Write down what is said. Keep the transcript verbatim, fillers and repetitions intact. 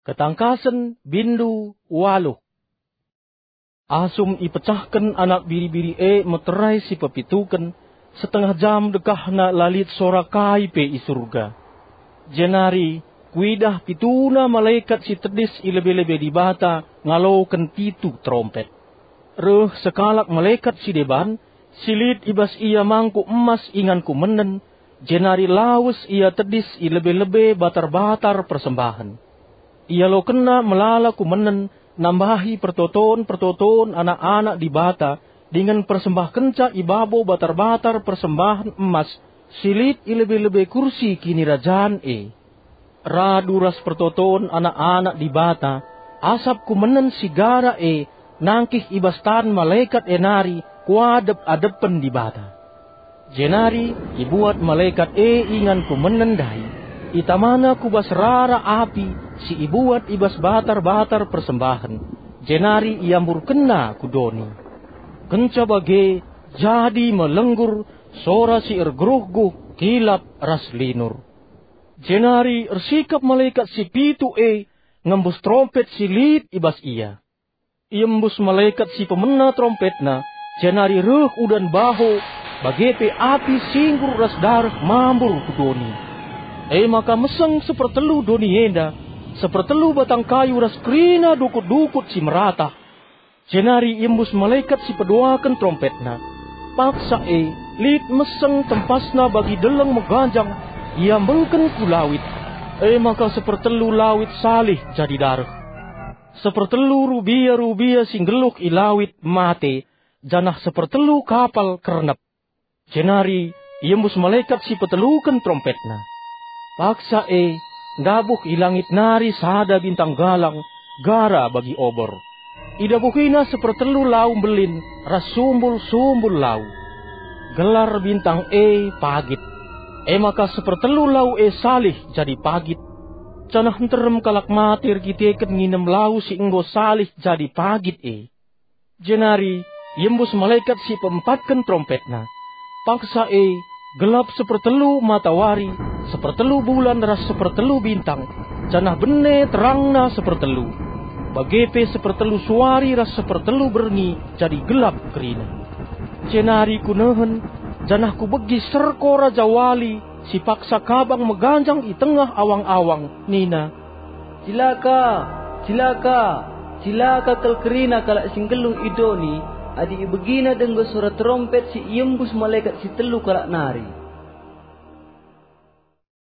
Ketangkasen bindu waluh. Asum ipecahken anak biri-biri e meterai si pepituken, setengah jam dekahna la lit sora kai pe i Surga. Jenari kuidah pituna malekat si tedis i lebe-lebe Dibata ngaloken pitu terompet. Reh sekalak malekat si deban, si lit i bas ia mangkuk emas ingan kumenen, jenari lawes ia tedis i lebe-lebe batar-batar persembahen. Ialokenna melala kumenen nambahi pertoton-pertoton anak-anak Dibata dingen persembahkenca i babo batar-batar persembahen emas si lit i lebe-lebe kursi kinirajan e. Radu ras pertoton anak-anak Dibata, asap kumenen si gara e nangkih i bas tan malekat e nari kuadep-adepen Dibata. Jenari ibuat malekat e ingan kumenen ndai, itamana ku bas rara api si ibuat i bas batar-batar persembahen, jenari iamburkenna ku doni. Kenca bage jadi me lenggur, sora si ergeruh-guh, kilap ras linur. Jenari ersikap malekat si pitu e ngembus terompet si lit i bas ia. Iembus malekat si pemena terompetna, jenari reh udan baho, bage pe api singgur ras dareh mambur ku doni. E maka meseng sepertelu doni enda, sepertelu batang kayu ras kerina dukut-dukut si meratah. Jenari iembus malekat si peduaken terompetna. Paksa e, lit meseng tempasna bagi deleng meganjang, iambengken ku lawit. E maka sepertelu lawit salih jadi dareh. Sepertelu rubia-rubia si nggeluh i lawit mate, janah sepertelu kapal kernep. Jenari iembus malekat si peteluken terompetna. Paksa e, ndabuh i langit nari sada bintang galang, gara bagi obor. Idabuhina sepertelu lau mbelin ras sumbul-sumbul lau. Gelar bintang e Pagit. E maka sepertelu lau e salih jadi pagit. Janah nterem kalak mate erkiteken nginem lau si enggo salih jadi pagit e. Jenari iembus malekat si peempatken terompetna. Paksa e, gelap sepertelu matawari, sepertelu bulan ras sepertelu bintang, janah bene terangna sepertelu. Bage pe sepertelu suari ras sepertelu berngi jadi gelap kerina. Jenari kunehen, janah kubegi serko rajawali si paksa kabang meganjang i tengah awang-awang, nina, "Cilaka! Cilaka! Cilaka kal kerina kalak si nggeluh i doni, adi ibegina denga sora terompet si iembus malekat si telu kalak nari!"